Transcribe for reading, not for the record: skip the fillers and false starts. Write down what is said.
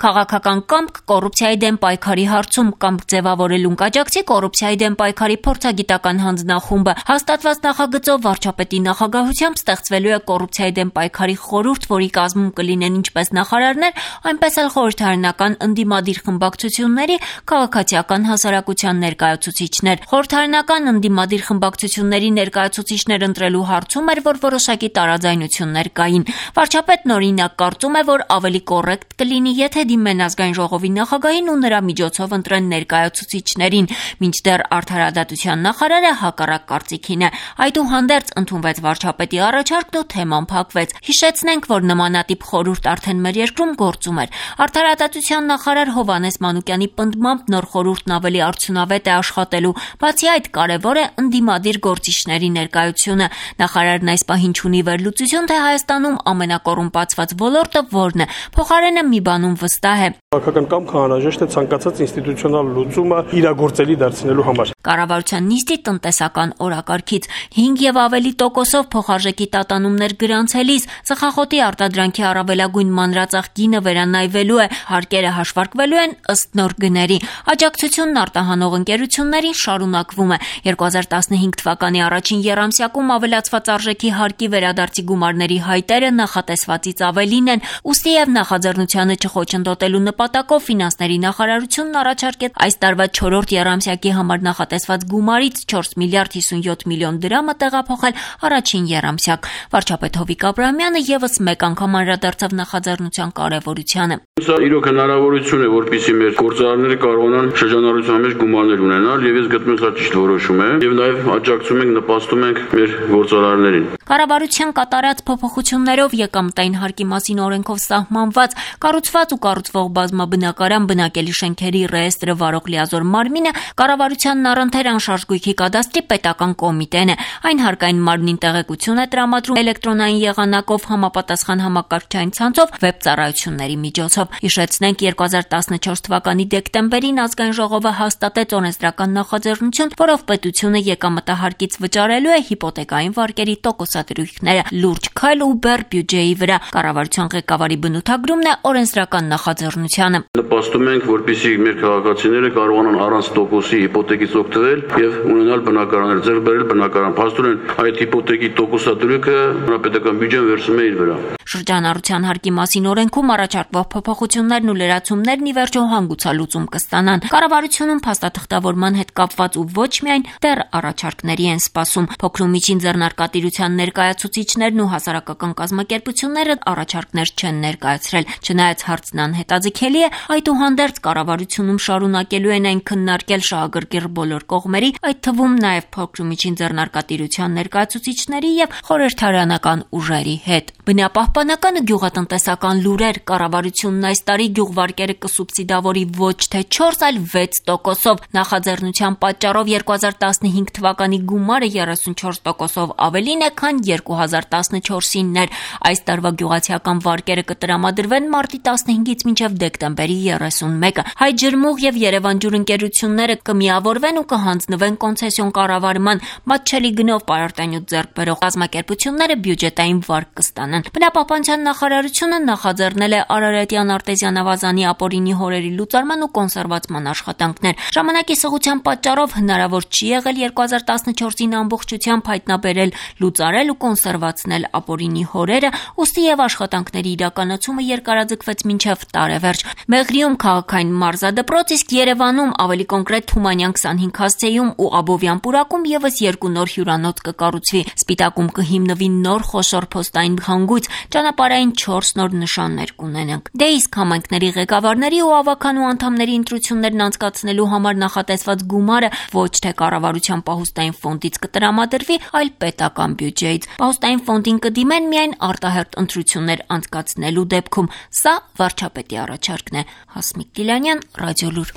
Քաղաքական կամք կոռուպցիայի դեմ պայքարի հարցում կամք ձևավորելուն կաջակցի կոռուպցիայի դեմ պայքարի փորձագիտական հանձնախումբը հաստատված նախագծով վարչապետի նախագահությամբ ստեղծվելու է կոռուպցիայի դեմ պայքարի խորհուրդ, որի կազմում կլինեն ինչպես նախարարներ, այնպես էլ խորհրդարանական ընդդիմադիր խմբակցությունների քաղաքացիական հասարակության ներկայացուցիչներ։ Խորհրդարանական ընդդիմադիր խմբակցությունների ներկայացուցիչներ ընտրելու հարցում էր, որ որոշակի տարաձայնություններ կային։ Վարչապետն օրինակ կարծում է, որ ավելի կոռեկտ կլինի, եթե դիմեն ազգային ժողովի նախագահին ու նրա միջոցով ընտրեն ներկայացուցիչներին, մինչդեռ արդարադատության նախարարը հակառակ կարծիքին է։ Այդուհանդերձ ընդունվեց վարչապետի առաջարկն ու թեման փակվեց։ Հիշեցնենք, որ նմանատիպ խորհուրդ արդեն մեր երկրում գործում էր։ Արդարադատության նախարար Հովհաննես Մանուկյանի պնդմամբ նոր խորհուրդն ավելի արդյունավետ է աշխատելու։ Բացի այդ, կարևոր է ընդդիմադիր գործիչների ներկայությունը։ Նախարարն այս պահին չունի վերլուծություն, թե Հայաստանում ամենակոռումպացված ոլորտը որն է։ Փոխարենը մի բանում վստահ է. Քաղաքական կամքը անհրաժեշտ է ցանկացած ինստիտուցիոնալ լուծումը իրագործելի դարձնելու համար։ Կառավարության նիստի տնտեսական օրակարգից 5 եւ ավելի տոկոսով փոխարժեքի տատանումներ գրանցելիս ծխախոտի արտադրանքի առավելագույն մանրածախ գինը վերանայվելու է, հարկերը հաշվարկվելու են ըստ նոր գների։ Աջակցությունն արտահանող ընկերություններին շարունակվում է։ 2015 թվականի առաջին եռամսյակում ավելացված արժեքի հարկի վերադարձի գումարների հայտերը նախատեսվածից ավելին են, ուստի եւ նախաձեռնությանը չխոչընդոտելու նպատակով ֆինանսների նախարարությունն առաջարկեց այս տարվա 4-րդ եռամսյակի համար նախատեսված գումարից 4 միլիարդ 57 միլիոն դրամը տեղափոխել առաջին եռամսյակ։ Վարչապետ Հովիկ Աբրահամյանը եւս մեկ անգամ անդրադարձավ նախաձեռնության կարեւորությանը։ Սա իրոք հնարավորություն է, որպեսզի մեր գործարարները կարողանան շրջանառության մեջ գումարներ ունենալ, եւ ես գտնում եմ սա ճիշտ որոշում է, եւ նաեւ աջակցում ենք, նպաստում ենք մեր գործարարներին։ Կառավարության կատարած փոփոխություններով եկամտային հարկի մասին օրենքով սահմանված կառուցված ու կառուցվող բազմաբնակարան բնակելի շենքերի ռեեստրը վարող լիազոր մարմինը կառավարությանն առընթեր անշարժ գույքի կադաստրի պետական կոմիտեն է։ Այն հարկային մարմնին տեղեկություն է տրամադրում էլեկտրոնային եղանակով համապատասխան համակարգչային ցանցով վեբ ծառայությունների միջոցով։ Հիշեցնենք, 2014 թվականի դեկտեմբերին ազգային ժողովը հաստատեց օրենսդրական նախաձեռնություն, որով պետությունը եկամտահարկից վճարելու է հիպոթեկային վարկերի տոկոսադրույքները։ Լուրջ քայլ ու բեռ բյուջեի վրա։ Կառավարության ղեկավարի բնութագրումն է օրենսդրական նախաձեռնությանը։ Նպաստում ենք, որպեսզի մեր քաղաքացիները կարողանան առանց տոկոսի հիպոթեկից օգտվել եւ ունենալ բնակարաններ, ձեռք բերել բնակարան։ Փաստորեն այդ հիպոթեկի տոկոսադրույքը հանրապետական բյուջեն վերցնում է իր վրա։ Շրջանառության հարկի մասին օրենքում առաջարկվող փոփոխություններն ու լրացումներն ի վերջո հանգուցալուծում կստանան։ Կառավարությունում փաստաթղթավորման հետ կապված ու ոչ միայն դեռ առաջարկների են սպասում։ Փոքր ու միջին ձեռնարկատիրության ներկայացուցիչներն ու հասարակական կազմակերպությունները առաջարկներ չեն ներկայացրել։ Չնայած հարցն անհետաձգելի է, այդուհանդերձ կառավարությունում շարունակելու են այն քննարկել շահագրգիռ բոլոր կողմերի, այդ թվում նաև փոքր ու միջին ձեռնարկատիրության ներկայացուցիչների եւ խորհրդարանական ուժերի հետ։ Բնապահպանական ու գյուղատնտեսական լուրեր. Կառավարությունն այս տարի գյուղվարկերը կսուբսիդավորի ոչ թե 4, այլ 6%-ով։ Նախաձեռնության պատճառով 2015 թվականի գումարը 34%-ով ավելին է, քան 2014-ին էր։ Այս տարվա գյուղացիական վարկերը կտրամադրվեն մարտի 15-ից մինչև դեկտեմբերի 31-ը։ Հայ ջրմուղ եւ Երևան ջուր ընկերությունները կմիավորվեն ու կհանձնվեն կոնցեսիոն կառավարման, մատչելի գնով պարարտանյութ ձեռք բերող կազմակերպությունները բյուջետային վարկ կստանան։ Բնապահպանության նախարարությունը նախաձեռնել է Արարատյան արտեզյան ավազանի ապօրինի հորերի լուծարման ու կոնսերվացման աշխատանքներ։ Ժամանակի սղության պատճառով հնարավոր չի եղել 2014-ին ամբողջությամբ հայտնաբերել, լուծարել ու կոնսերվացնել ապօրինի հորերը, ուստի եւ աշխատանքների իրականացումը երկարաձգվեց մինչև տարեվերջ։ Մեղրիում քաղաքային մարզադպրոց, իսկ Երևանում, ավելի կոնկրետ Թումանյան 25 հասցեում ու Աբովյան պուրակում եւս 2 նոր հյուրանոց կկառուցվի։ Սպիտակում կհիմնվի նոր խոշոր փոստային հանգույց, ճանապարհային 4 նոր նշաններ կունենանք։ Դե իսկ համայնքների ղեկավարների ու ավականու անդամների ընտրություններն անցկացնելու համար նախատեսված գումարը ոչ թե կառավարության պահուստային ֆոնդից կտրամադրվի, այլ պետական բյուջեից։ Պահուստային ֆոնդին կդիմեն միայն արտահերթ ընտրություններ անցկացնելու դեպքում։ Սա վարչապետի առաջարկն է։ Հասմիկ Գիլանյան, Ռադիոլուր։